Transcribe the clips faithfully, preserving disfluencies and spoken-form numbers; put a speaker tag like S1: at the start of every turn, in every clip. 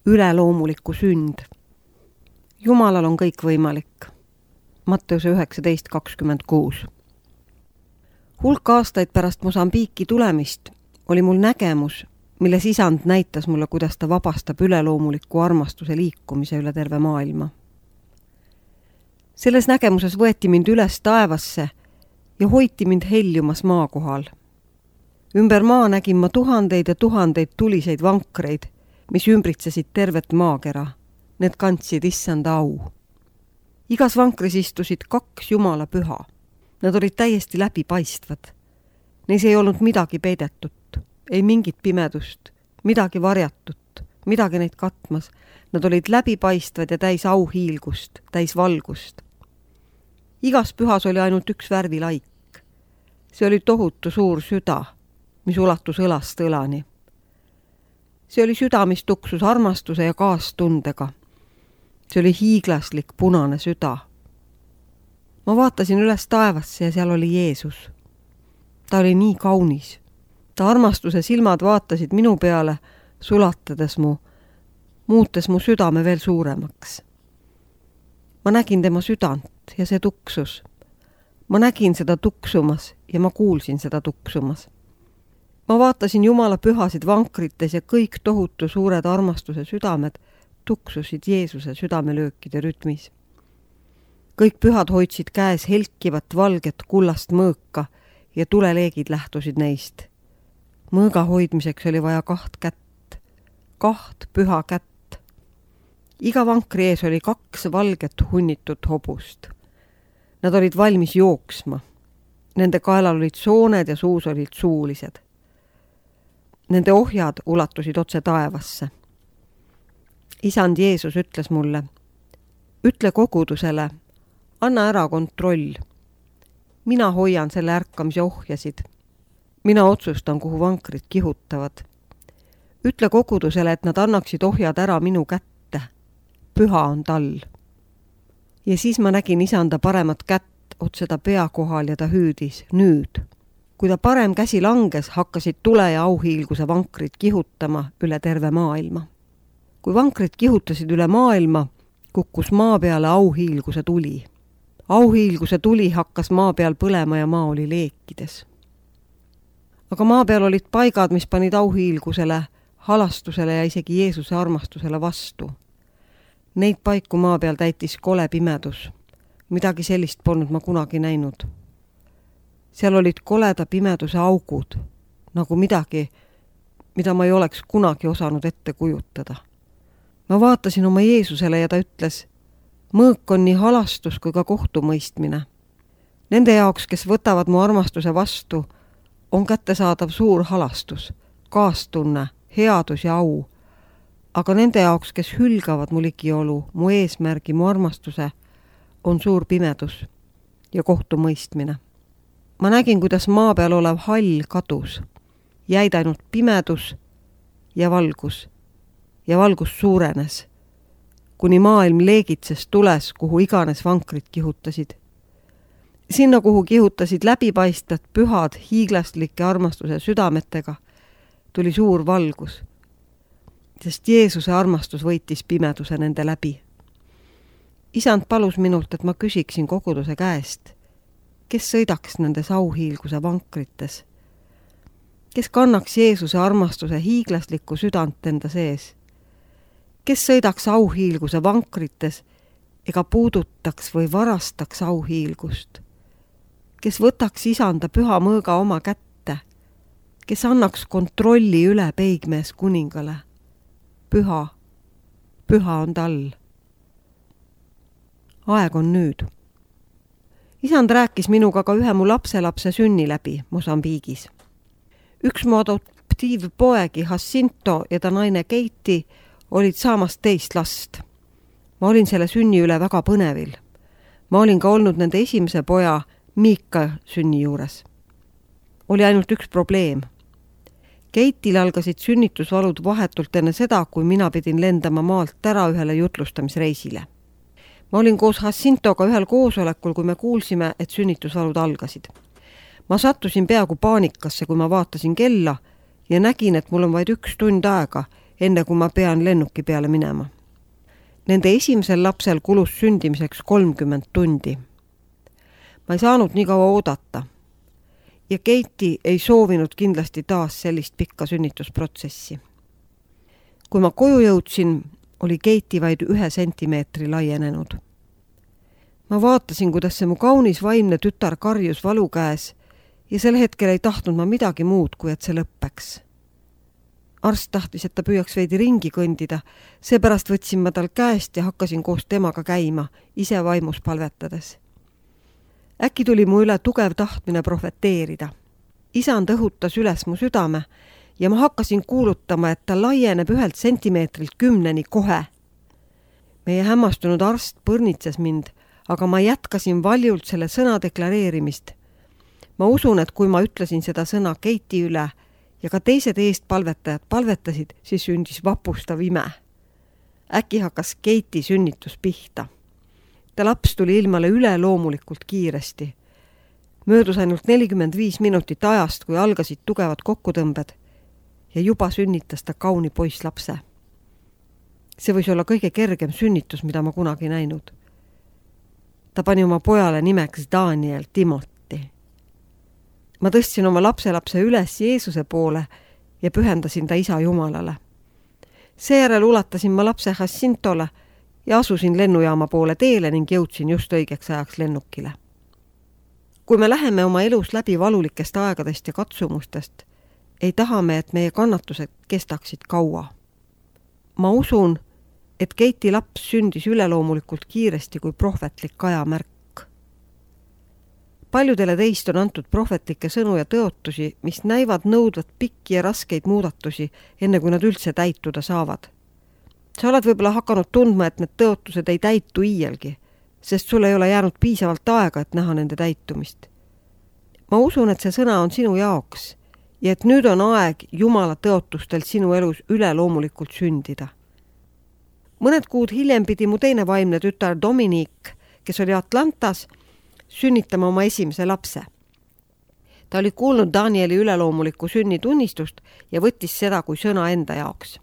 S1: üleloomulikku sünd. Jumalal on kõik võimalik. Matteuse üheksateist kakskümmend kuus. Hulk aastaid pärast Mosambiiki tulemist oli mul nägemus, milles isand näitas mulle, kuidas ta vabastab üleloomuliku armastuse liikumise üle terve maailma. Selles nägemuses võeti mind üles taevasse ja hoiti mind heljumas maa kohal. Ümber maa nägin ma tuhandeid ja tuhandeid tuliseid vankreid, mis ümbritsesid tervet maakera. Need kandsid issanda au. Igas vankris istusid kaks Jumala püha. Nad olid täiesti läbipaistvad. Neis ei olnud midagi peidetut, ei mingit pimedust, midagi varjatut, midagi neid katmas. Nad olid läbipaistvad ja täis auhiilgust, täis valgust. Igas pühas oli ainult üks värvilaik. See oli tohutu suur süda, mis ulatus õlast õlani. See oli süda, mis tuksus armastuse ja kaastundega. See oli hiiglaslik punane süda. Ma vaatasin üles taevasse ja seal oli Jeesus. Ta oli nii kaunis. Ta armastuse silmad vaatasid minu peale, sulatades mu, muutes mu südame veel suuremaks. Ma nägin tema südant ja see tuksus. Ma nägin seda tuksumas ja ma kuulsin seda tuksumas. Ma vaatasin Jumala pühasid vankrites ja kõik tohutu suured armastuse südamed tuksusid Jeesuse südamelöökide rütmis. Kõik pühad hoidsid käes helkivat valget kullast mõõka ja tuleleegid lähtusid neist. Mõõga hoidmiseks oli vaja kaht kätt, kaht püha kätt. Iga vankri ees oli kaks valget hunnitut hobust. Nad olid valmis jooksma. Nende kaelal olid sooned ja suus olid suulised. Nende ohjad ulatusid otse taevasse. Isand Jeesus ütles mulle, ütle kogudusele, anna ära kontroll. Mina hoian selle ärkamise ohjasid. Mina otsustan, kuhu vankrid kihutavad. Ütle kogudusele, et nad annaksid ohjad ära minu kätte. Püha on tal. Ja siis ma nägin isanda paremat kätt otse ta pea kohal ja ta hüüdis, nüüd. Kui ta parem käsi langes, hakkasid tule ja auhiilguse vankrid kihutama üle terve maailma. Kui vankrid kihutasid üle maailma, kukkus maa peale auhiilguse tuli. Auhiilguse tuli hakkas maa peal põlema ja maa oli leekides. Aga maa peal olid paigad, mis panid auhiilgusele, halastusele ja isegi Jeesuse armastusele vastu. Neid paiku maa peal täitis kole pimedus. Midagi sellist polnud ma kunagi näinud. Seal olid koleda pimeduse augud, nagu midagi, mida ma ei oleks kunagi osanud ette kujutada. Ma vaatasin oma Jeesusele ja ta ütles, mõõk on nii halastus kui ka kohtumõistmine. Nende jaoks, kes võtavad mu armastuse vastu, on kättesaadav suur halastus, kaastunne, headus ja au. Aga nende jaoks, kes hülgavad mu ligiolu, mu eesmärgi, mu armastuse, on suur pimedus ja kohtumõistmine. Ma nägin, kuidas maa peal olev hall kadus. Jäid ainult pimedus ja valgus. Ja valgus suurenes, kuni maailm leegitses tules, kuhu iganes vankrid kihutasid. Sinna, kuhu kihutasid läbipaistvad pühad hiiglastlike armastuse südametega, tuli suur valgus, sest Jeesuse armastus võitis pimeduse nende läbi. Isand palus minult, et ma küsiksin koguduse käest, kes sõidaks nendes auhiilguse vankrites, kes kannaks Jeesuse armastuse hiiglaslikku südant enda sees, kes sõidaks auhiilguse vankrites ega puudutaks või varastaks auhiilgust, kes võtaks isanda püha mõõga oma kätte, kes annaks kontrolli üle peigmees kuningale. Püha, püha on tal. Aeg on nüüd. Isand rääkis minuga ka ühe mu lapselapse sünni läbi Mosambiigis. Üks mu adoptiivpoegi Jacinto ja ta naine Keiti olid saamast teist last. Ma olin selle sünni üle väga põnevil. Ma olin ka olnud nende esimese poja Miika sünni juures. Oli ainult üks probleem. Keitil algasid sünnitusvalud vahetult enne seda, kui mina pidin lendama maalt ära ühele jutlustamisreisile. Ma olin koos Jacintoga ühel koosolekul, kui me kuulsime, et sünnitusvalud algasid. Ma sattusin peaaegu paanikasse, kui ma vaatasin kella ja nägin, et mul on vaid üks tund aega, enne kui ma pean lennuki peale minema. Nende esimesel lapsel kulus sündimiseks kolmkümmend tundi. Ma ei saanud nii kaua oodata. Ja Katie ei soovinud kindlasti taas sellist pikka sünnitusprotsessi. Kui ma koju jõudsin, oli Katie vaid ühe sentimeetri laienenud. Ma vaatasin, kuidas see mu kaunis vaimne tütar karjus valu käes ja sel hetkel ei tahtnud ma midagi muud, kui et see lõppeks. Arst tahtis, et ta püüaks veidi ringi kõndida, seepärast võtsin ma tal käest ja hakkasin koos temaga käima, ise vaimus palvetades. Äkki tuli mu üle tugev tahtmine profeteerida. Isand õhutas üles mu südame ja ma hakkasin kuulutama, et ta laieneb ühelt sentimeetrilt kümneni kohe. Meie hämmastunud arst põrnitses mind, aga ma jätkasin valjult selle sõna deklareerimist. Ma usun, et kui ma ütlesin seda sõna Katie üle ja ka teised eest palvetajad palvetasid, siis sündis vapustav ime. Äkki hakkas Katie sünnitus pihta. Ta laps tuli ilmale üle loomulikult kiiresti. Möödus ainult nelikümmend viis minutit ajast, kui algasid tugevad kokkutõmbed ja juba sünnitas ta kauni poisslapse. See võis olla kõige kergem sünnitus, mida ma kunagi näinud. Ta pani oma pojale nimeks Daniel Timothy. Ma tõstsin oma lapselapse üles Jeesuse poole ja pühendasin ta isa Jumalale. Seejärel ulatasin ma lapse Jacintole ja asusin lennujaama poole teele ning jõudsin just õigeks ajaks lennukile. Kui me läheme oma elus läbi valulikest aegadest ja katsumustest, ei taha me, et meie kannatused kestaksid kaua. Ma usun, et Katie laps sündis üleloomulikult kiiresti kui prohvetlik ajamärk. Paljudele teist on antud prohvetlikke sõnu ja tõotusi, mis näivad nõudvat pikki ja raskeid muudatusi, enne kui nad üldse täituda saavad. Sa oled võib-olla hakanud tundma, et need tõotused ei täitu iielgi, sest sul ei ole jäänud piisavalt aega, et näha nende täitumist. Ma usun, et see sõna on sinu jaoks ja et nüüd on aeg Jumala tõotustel sinu elus üleloomulikult sündida. Mõned kuud hiljem pidi mu teine vaimne tütar Dominique, kes oli Atlantas, sünnitama oma esimese lapse. Ta oli kuulnud Danieli üleloomulikku sünnitunnistust ja võttis seda kui sõna enda jaoks.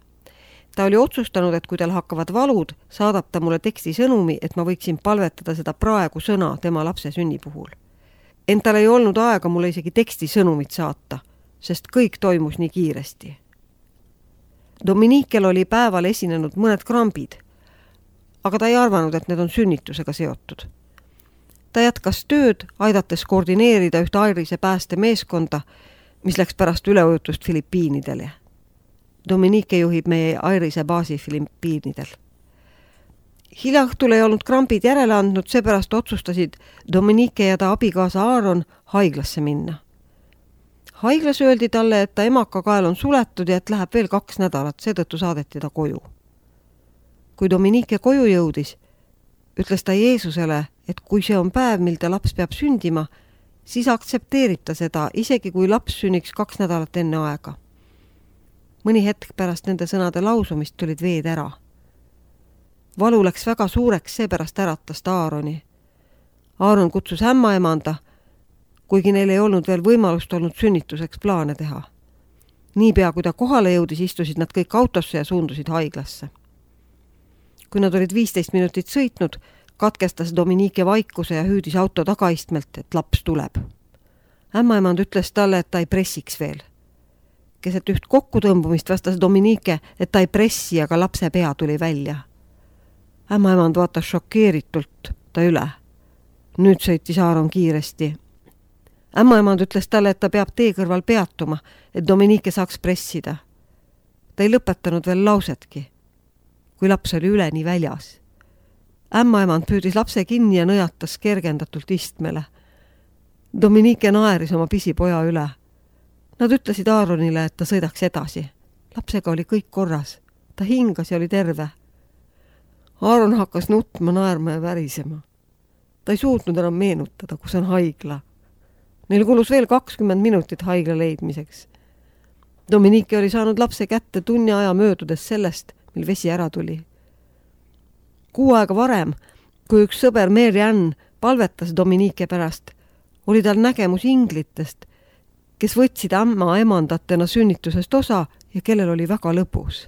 S1: Ta oli otsustanud, et kui tal hakkavad valud, saadab ta mulle teksti sõnumi, et ma võiksin palvetada seda praegu sõna tema lapse sünni puhul. Ent tal ei olnud aega mulle isegi teksti sõnumit saata, sest kõik toimus nii kiiresti. Dominikel oli päeval esinenud mõned krambid, aga ta ei arvanud, et need on sünnitusega seotud. Ta jätkas tööd, aidates koordineerida ühte Airise pääste meeskonda, mis läks pärast üleujutust Filipiinidele. Dominique juhib meie Airise baasi Filipiinidel. Hiljaõhtul ei olnud krambid järele andnud, seepärast otsustasid Dominique ja ta abikaasa Aaron haiglasse minna. Haiglas öeldi talle, et ta emakakael on suletud ja et läheb veel kaks nädalat, seetõttu saadeti ta koju. Kui Dominique koju jõudis, ütles ta Jeesusele, et kui see on päev, mil ta laps peab sündima, siis aktsepteerib ta seda, isegi kui laps sünniks kaks nädalat enne aega. Mõni hetk pärast nende sõnade lausumist tulid veed ära. Valu läks väga suureks, seepärast äratas ta Aaroni. Aaron kutsus ämmaemanda, kuigi neil ei olnud veel võimalust olnud sünnituseks plaane teha. Niipea, kui ta kohale jõudis, istusid nad kõik autosse ja suundusid haiglasse. Kui nad olid viisteist minutit sõitnud, katkestas Dominique vaikuse ja hüüdis auto tagaistmelt, et laps tuleb. Ämmaemand ütles talle, et ta ei pressiks veel. Keset üht kokkutõmbumist vastas Dominique, et ta ei pressi, aga lapse pea tuli välja. Ämmaemand vaatas šokeeritult ta üle. Nüüd sõitis Aaron kiiresti. Ämmaemand ütles talle, et ta peab tee kõrval peatuma, et Dominique saaks pressida. Ta ei lõpetanud veel lausetki, kui laps oli üleni väljas. Ämmaemand püüdis lapse kinni ja nõjatas kergendatult istmele. Dominique naeris oma pisipoja üle. Nad ütlesid Aaronile, et ta sõidaks edasi. Lapsega oli kõik korras. Ta hingas ja oli terve. Aaron hakkas nutma, naerma ja värisema. Ta ei suutnud enam meenutada, kus on haigla. Neil kulus veel kakskümmend minutit haigla leidmiseks. Dominique oli saanud lapse kätte tunni aja möödudes sellest, mil vesi ära tuli. Kuu aega varem, kui üks sõber Mary Ann palvetas Dominique pärast, oli tal nägemus inglitest, kes võtsid ämma emandatena sünnitusest osa ja kellel oli väga lõbus.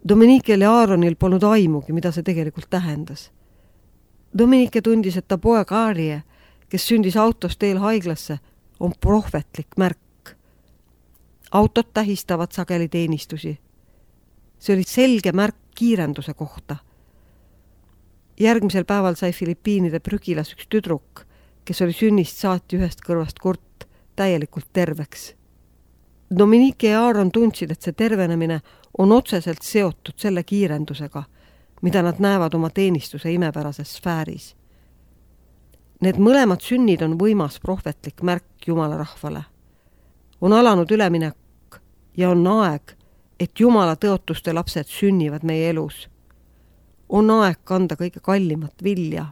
S1: Dominikel ja Aaronil polnud aimugi, mida see tegelikult tähendas. Dominike tundis, et ta poeg Aarie, kes sündis autos teel haiglasse, on prohvetlik märk. Autod tähistavad sageli teenistusi. See oli selge märk kiirenduse kohta. Järgmisel päeval sai Filipiinide prügilas üks tüdruk, kes oli sünnist saati ühest kõrvast kurt täielikult terveks. Dominike ja Aaron tundsid, et see tervenemine on otseselt seotud selle kiirendusega, mida nad näevad oma teenistuse imepärases sfääris. Need mõlemad sünnid on võimas prohvetlik märk Jumala rahvale. On alanud üleminek ja on aeg, et Jumala tõotuste lapsed sünnivad meie elus. On aeg kanda kõige kallimat vilja.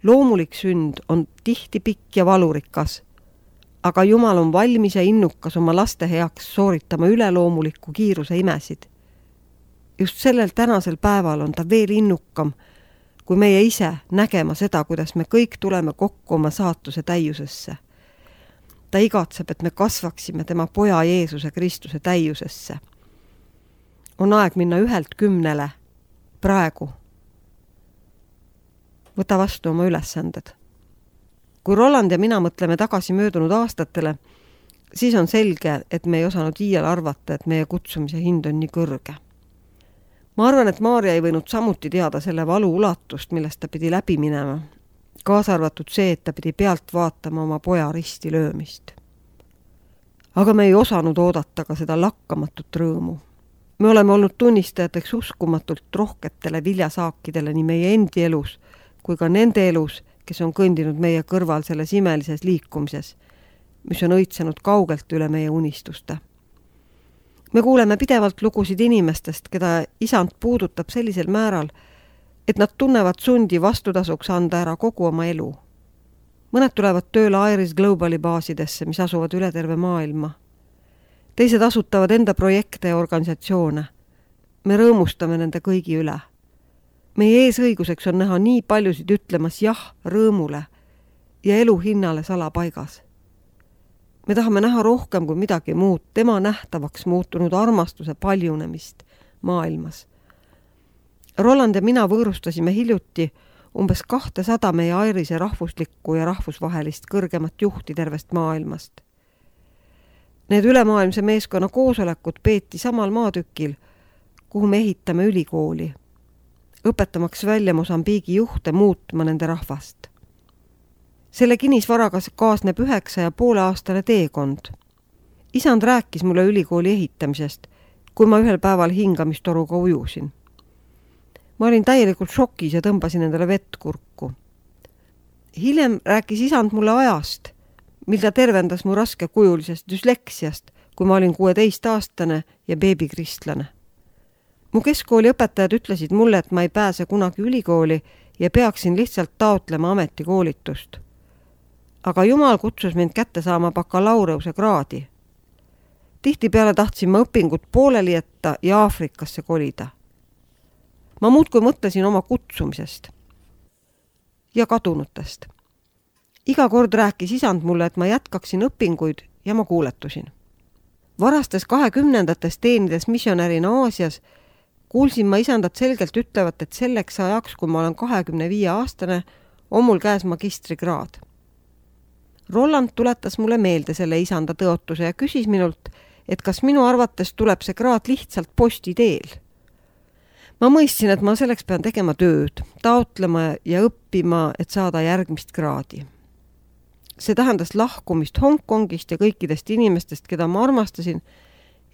S1: Loomulik sünd on tihti pikk ja valurikas, aga Jumal on valmis ja innukas oma laste heaks sooritama üleloomuliku kiiruse imesid. Just sellel tänasel päeval on ta veel innukam, kui meie ise nägema seda, kuidas me kõik tuleme kokku oma saatuse täiusesse. Ta igatseb, et me kasvaksime tema poja Jeesuse Kristuse täiusesse. On aeg minna ühelt kümnele praegu. Võta vastu oma ülesanded. Kui Roland ja mina mõtleme tagasi möödunud aastatele, siis on selge, et me ei osanud iial arvata, et meie kutsumise hind on nii kõrge. Ma arvan, et Maarja ei võinud samuti teada selle valu ulatust, millest ta pidi läbi minema, kaasa arvatud see, et ta pidi pealt vaatama oma poja risti löömist. Aga me ei osanud oodata ka seda lakkamatut rõõmu. Me oleme olnud tunnistajateks uskumatult rohketele viljasaakidele nii meie endi elus kui ka nende elus, kes on kõndinud meie kõrval selles imelises liikumises, mis on õitsenud kaugelt üle meie unistuste. Me kuuleme pidevalt lugusid inimestest, keda isand puudutab sellisel määral, et nad tunnevad sundi vastutasuks anda ära kogu oma elu. Mõned tulevad tööle Iris Globali baasidesse, mis asuvad üle terve maailma. Teised asutavad enda projekte ja organisatsioone. Me rõõmustame nende kõigi üle. Meie eesõiguseks on näha nii paljusid ütlemas jah rõõmule ja elu hinnale salapaigas. Me tahame näha rohkem kui midagi muud, tema nähtavaks muutunud armastuse paljunemist maailmas. Roland ja mina võõrustasime hiljuti umbes kahtesada meie Airise rahvuslikku ja rahvusvahelist kõrgemat juhti tervest maailmast. Need ülemaailmse meeskonna koosolekud peeti samal maatükil, kuhu me ehitame ülikooli, õpetamaks välja Mosambiigi juhte muutma nende rahvast. Selle kinnisvaraga kaasneb üheksa ja poole aastane teekond. Isand rääkis mulle ülikooli ehitamisest, kui ma ühel päeval hingamistoruga ujusin. Ma olin täielikult šokis ja tõmbasin endale vett kurku. Hiljem rääkis isand mulle ajast, mil ta tervendas mu raskekujulisest düsleksiast, kui ma olin kuueteistaastane ja beebikristlane. Mu keskkooli õpetajad ütlesid mulle, et ma ei pääse kunagi ülikooli ja peaksin lihtsalt taotlema ametikoolitust. Aga Jumal kutsus mind kätte saama bakalaureuse kraadi. Tihtipeale tahtsin ma õpingut pooleli jätta ja Aafrikasse kolida. Ma muudkui mõtlesin oma kutsumisest ja kadunutest. Iga kord rääkis isand mulle, et ma jätkaksin õpinguid ja ma kuuletusin. Varastes kahekümnendates teenides missionärina Aasias kuulsin ma isandat selgelt ütlevat, et selleks ajaks, kui ma olen kahekümne viie aastane, on mul käes magistrikraad. Roland tuletas mulle meelde selle isanda tõotuse ja küsis minult, et kas minu arvates tuleb see kraad lihtsalt posti teel. Ma mõistsin, et ma selleks pean tegema tööd, taotlema ja õppima, et saada järgmist kraadi. See tähendas lahkumist Hongkongist ja kõikidest inimestest, keda ma armastasin,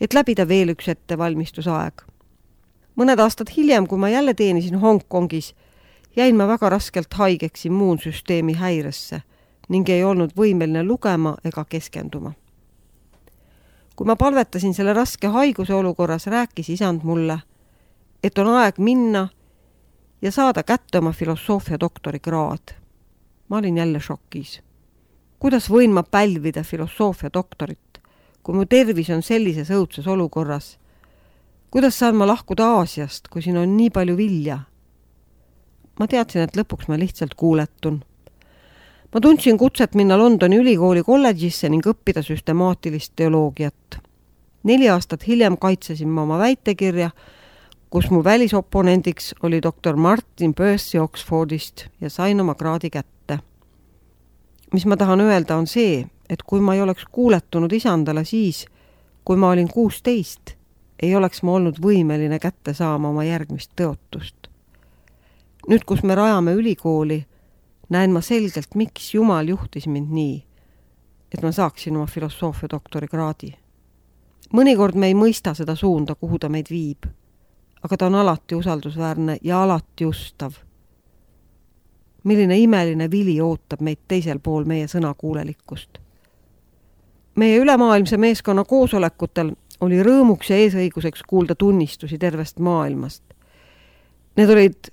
S1: et läbida veel üks ettevalmistusaeg. Mõned aastad hiljem, kui ma jälle teenisin Hongkongis, jäin ma väga raskelt haigeks immuunsüsteemi häiresse ning ei olnud võimeline lugema ega keskenduma. Kui ma palvetasin selle raske haiguse olukorras, rääkis isand mulle, et on aeg minna ja saada kätte oma filosoofia doktorikraad. Ma olin jälle šokis. Kuidas võin ma pälvida filosoofia doktorit, kui mu tervis on sellises õudses olukorras? Kuidas saan ma lahkuda Aasiast, kui siin on nii palju vilja? Ma teadsin, et lõpuks ma lihtsalt kuuletun. Ma tundsin kutset minna Londoni ülikooli kolledžisse ning õppida süstemaatilist teoloogiat. Neli aastat hiljem kaitsesin ma oma väitekirja, kus mu välisoponendiks oli doktor Martin Percy Oxfordist ja sain oma kraadi kätte. Mis ma tahan öelda on see, et kui ma ei oleks kuuletunud isandale siis, kui ma olin kuusteist, ei oleks ma olnud võimeline kätte saama oma järgmist tõotust. Nüüd, kus me rajame ülikooli, näen ma selgelt, miks Jumal juhtis mind nii, et ma saaksin oma filosoofia doktori kraadi. Mõnikord me ei mõista seda suunda, kuhu ta meid viib, aga ta on alati usaldusväärne ja alati ustav. Milline imeline vili ootab meid teisel pool meie sõnakuulelikkust. Meie ülemaailmse meeskonna koosolekutel oli rõõmuks ja eesõiguseks kuulda tunnistusi tervest maailmast. Need olid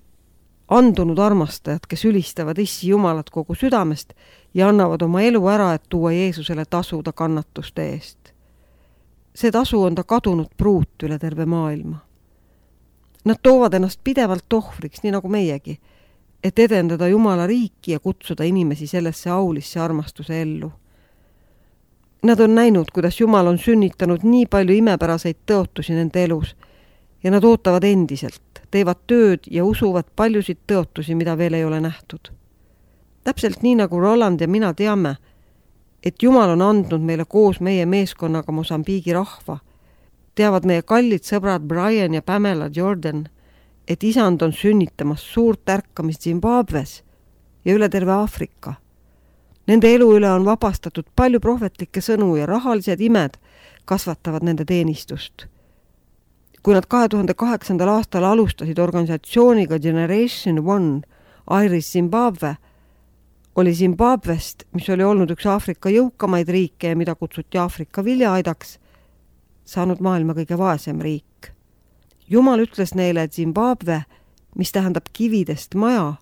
S1: andunud armastajad, kes ülistavad Issi Jumalat kogu südamest ja annavad oma elu ära, et tuua Jeesusele tasu ta kannatuste eest. See tasu on ta kadunud pruut üle terve maailma. Nad toovad ennast pidevalt ohvriks, nii nagu meiegi, et edendada Jumala riiki ja kutsuda inimesi sellesse aulisse armastuse ellu. Nad on näinud, kuidas Jumal on sünnitanud nii palju imepäraseid tõotusi nende elus ja nad ootavad endiselt, teevad tööd ja usuvad paljusid tõotusi, mida veel ei ole nähtud. Täpselt nii nagu Roland ja mina teame, et Jumal on andnud meile koos meie meeskonnaga Mosambiigi rahva, teavad meie kallid sõbrad Brian ja Pamela Jordan, et isand on sünnitamas suurt ärkamist Zimbabwes ja üle terve Aafrika. Nende elu üle on vabastatud palju prohvetlikke sõnu ja rahalised imed kasvatavad nende teenistust. Kui nad kahe tuhande kaheksandal aastal alustasid organisatsiooniga Generation One Iris Zimbabwe, oli Zimbabwest, mis oli olnud üks Aafrika jõukamaid riike ja mida kutsuti Aafrika viljaaidaks, saanud maailma kõige vaesem riik. Jumal ütles neile, et Zimbabwe, mis tähendab kividest maja,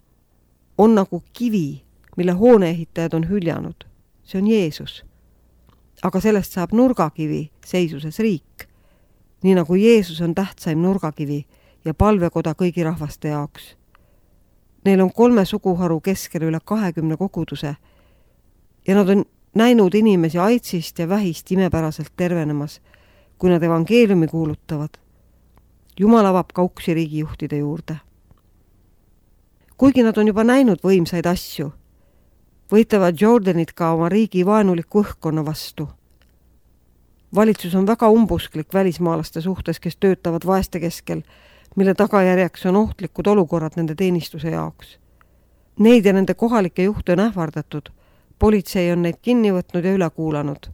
S1: on nagu kivi, mille hooneehitajad on hüljanud. See on Jeesus. Aga sellest saab nurgakivi seisuses riik, nii nagu Jeesus on tähtsaim nurgakivi ja palvekoda kõigi rahvaste jaoks. Neil on kolme suguharu keskel üle kahekümne koguduse ja nad on näinud inimesi aitsist ja vähist imepäraselt tervenemas, kui nad evangeeliumi kuulutavad. Jumal avab ka uksi riigijuhtide juurde. Kuigi nad on juba näinud võimsaid asju, võitavad Jordanid ka oma riigi vaenuliku õhkkonna vastu. Valitsus on väga umbusklik välismaalaste suhtes, kes töötavad vaeste keskel, mille tagajärjeks on ohtlikud olukorrad nende teenistuse jaoks. Neid ja nende kohalike juhte on ähvardatud, politsei on neid kinni võtnud ja üle kuulanud.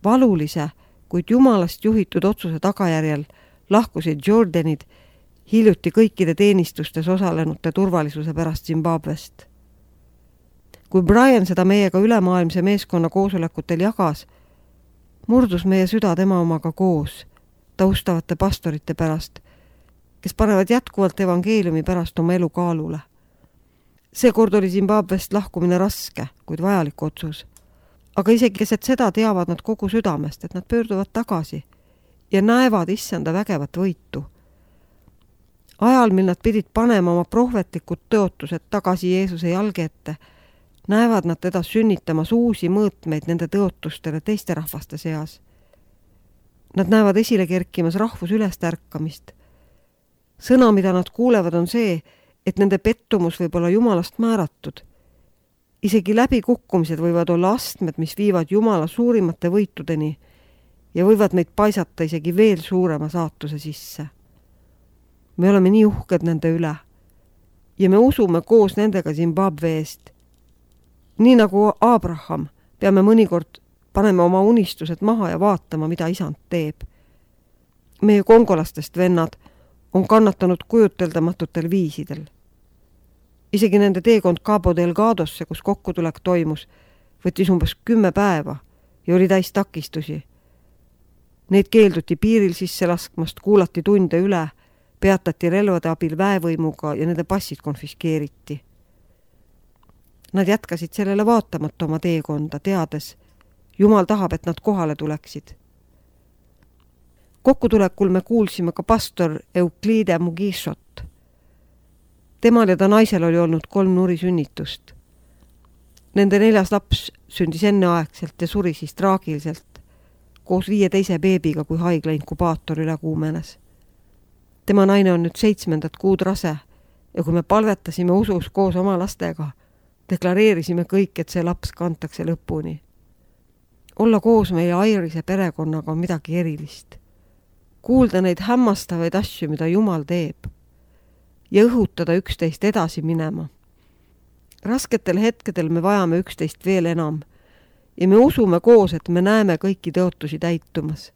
S1: Valulise, kuid Jumalast juhitud otsuse tagajärjel lahkusid Jordanid hiljuti kõikide teenistustes osalenute turvalisuse pärast Zimbabwest. Kui Brian seda meiega ülemaailmse meeskonna koosolekutel jagas, murdus meie süda tema omaga koos, taustavate pastorite pärast, kes panevad jätkuvalt evangeeliumi pärast oma elu kaalule. Seekord oli Zimbabwest lahkumine raske, kuid vajalik otsus. Aga isegi keset seda teavad nad kogu südamest, et nad pöörduvad tagasi ja näevad issanda vägevat võitu. Ajal, mil nad pidid panema oma prohvetlikud tõotused tagasi Jeesuse jalge ette, näevad nad teda sünnitamas uusi mõõtmeid nende tõotustele teiste rahvaste seas. Nad näevad esile kerkimas rahvus ülest ärkamist. Sõna, mida nad kuulevad, on see, et nende pettumus võib olla Jumalast määratud. Isegi läbikukkumised võivad olla astmed, mis viivad Jumala suurimate võitudeni ja võivad meid paisata isegi veel suurema saatuse sisse. Me oleme nii uhked nende üle ja me usume koos nendega Zimbabwe eest. Nii nagu Abraham, peame mõnikord panema oma unistused maha ja vaatama, mida isand teeb. Meie kongolastest vennad on kannatanud kujuteldamatutel viisidel. Isegi nende teekond Cabo Delgadosse, kus kokkutulek toimus, võttis umbes kümme päeva ja oli täis takistusi. Neid keelduti piiril sisse laskmast, kuulati tunde üle, peatati relvade abil väevõimuga ja nende passid konfiskeeriti. Nad jätkasid sellele vaatamata oma teekonda, teades, Jumal tahab, et nad kohale tuleksid. Kokkutulekul me kuulsime ka pastor Euclide Mugishot. Temal ja ta naisel oli olnud kolm nurisünnitust. Nende neljas laps sündis enneaegselt ja suri siis traagiliselt, koos viie teise beebiga, kui haigla inkubaator üle kuumenes. tema naine on nüüd seitsmendat kuud rase ja kui me palvetasime usus koos oma lastega, deklareerisime kõik, et see laps kantakse lõpuni. Olla koos meie Airise perekonnaga on midagi erilist. Kuulda neid hämmastavaid asju, mida Jumal teeb ja õhutada üksteist edasi minema. Rasketel hetkedel me vajame üksteist veel enam ja me usume koos, et me näeme kõiki tõotusi täitumas.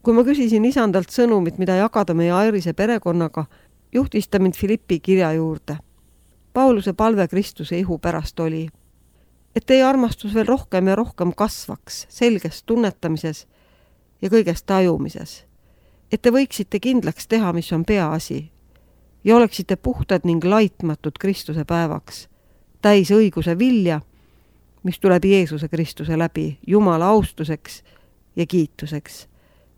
S1: Kui ma küsisin isandalt sõnumit, mida jagada meie Airise perekonnaga, juhtis ta mind Filippi kirja juurde. Pauluse palve Kristuse ihu pärast oli, et teie armastus veel rohkem ja rohkem kasvaks selges tunnetamises ja kõigest tajumises, et te võiksite kindlaks teha, mis on peaasi ja oleksite puhtad ning laitmatud Kristuse päevaks, täis õiguse vilja, mis tuleb Jeesuse Kristuse läbi Jumala austuseks ja kiituseks.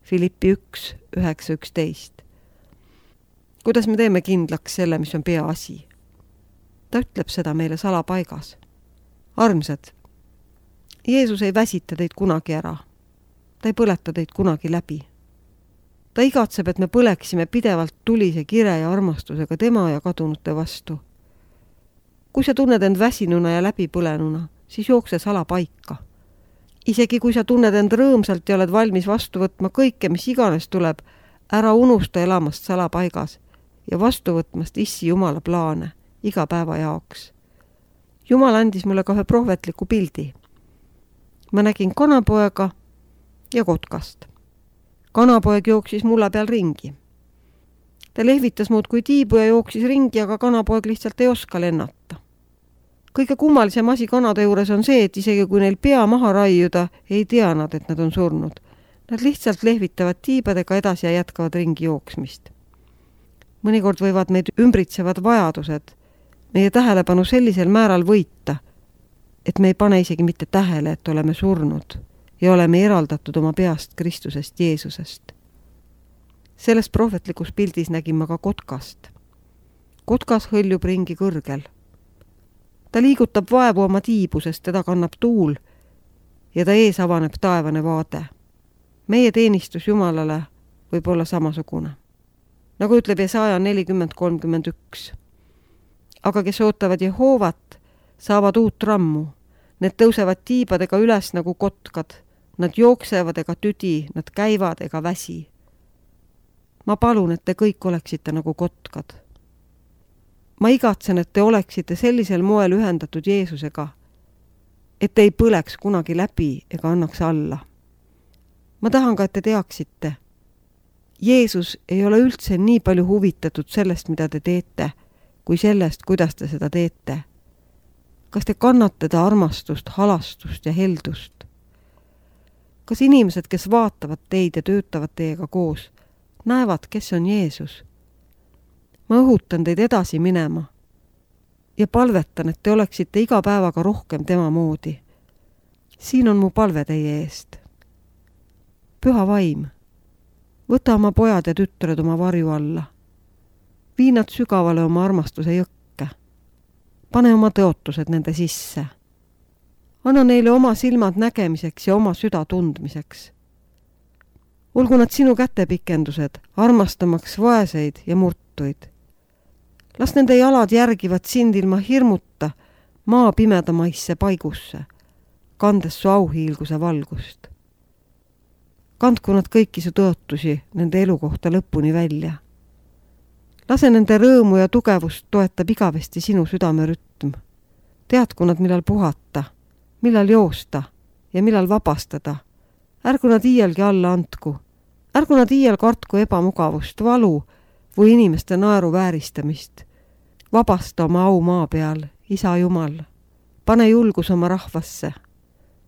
S1: Filippi üks, üheksa, üksteist. Kuidas me teeme kindlaks selle, mis on peaasi? Ta ütleb seda meile salapaigas. Armsad, Jeesus ei väsita teid kunagi ära. Ta ei põleta teid kunagi läbi. Ta igatseb, et me põleksime pidevalt tulise kire ja armastusega tema ja kadunute vastu. Kui sa tunned end väsinuna ja läbipõlenuna, siis jookse salapaika. Isegi kui sa tunned end rõõmsalt ja oled valmis vastu võtma kõike, mis iganes tuleb, ära unusta elamast salapaigas ja vastu võtmast Issi Jumala plaane iga päeva jaoks. Jumal andis mulle ka ühe prohvetliku pildi. Ma nägin kanapoega ja kotkast. Kanapoeg jooksis mulla peal ringi. Ta lehvitas muud kui tiibu ja jooksis ringi, aga kanapoeg lihtsalt ei oska lennata. Kõige kummalisem asi kanade juures on see, et isegi kui neil pea maha raiuda, ei tea nad, et nad on surnud. Nad lihtsalt lehvitavad tiibadega edasi ja jätkavad ringi jooksmist. Mõnikord võivad meid ümbritsevad vajadused meie tähelepanu sellisel määral võita, et me ei pane isegi mitte tähele, et oleme surnud ja oleme eraldatud oma peast Kristusest Jeesusest. Selles prohvetlikus pildis nägin ma ka kotkast. Kotkas hõljub ringi kõrgel. Ta liigutab vaevu oma tiibu, sest teda kannab tuul ja ta ees avaneb taevane vaade. Meie teenistus Jumalale võib olla samasugune. Nagu ütleb Jesaja nelikümmend kolmkümmend üks. Aga kes ootavad Jehoovat, saavad uut rammu. Need tõusevad tiibadega üles nagu kotkad. Nad jooksevad ega tüdi, nad käivad ega väsi. Ma palun, et te kõik oleksite nagu kotkad. Ma igatsen, et te oleksite sellisel moel ühendatud Jeesusega, et te ei põleks kunagi läbi ega annaks alla. Ma tahan ka, et te teaksite. Jeesus ei ole üldse nii palju huvitatud sellest, mida te teete, kui sellest, kuidas te seda teete. Kas te kannate ta armastust, halastust ja heldust? Kas inimesed, kes vaatavad teid ja töötavad teiega koos, näevad, kes on Jeesus? Ma õhutan teid edasi minema ja palvetan, et te oleksite iga päevaga rohkem tema moodi. Siin on mu palve teie eest. Püha vaim, võta oma pojad ja tütred oma varju alla. Vii nad sügavale oma armastuse jõkke. Pane oma tõotused nende sisse. Anna neile oma silmad nägemiseks ja oma süda tundmiseks. Olgu nad sinu kätepikendused, armastamaks vaeseid ja murtuid. Las nende jalad järgivad sind ilma hirmuta maa pimedamaisse paigusse, kandes su auhiilguse valgust. Kandku nad kõiki su tõotusi nende elu kohta lõpuni välja. Lase nende rõõmu ja tugevust toetab igavesti sinu südamerütm. Teadku nad, millal puhata, millal joosta ja millal vabastada. Ärgu nad iialgi alla andku. Ärgu nad iial kartku ebamugavust, valu või inimeste naeru vääristamist. Vabasta oma au maa peal, Isa Jumal. Pane julgus oma rahvasse.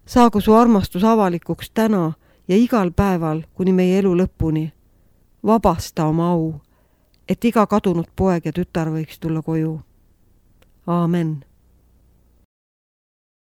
S1: Saagu su armastus avalikuks täna ja igal päeval kuni meie elu lõpuni. Vabasta oma au, et iga kadunud poeg ja tütar võiks tulla koju. Aamen.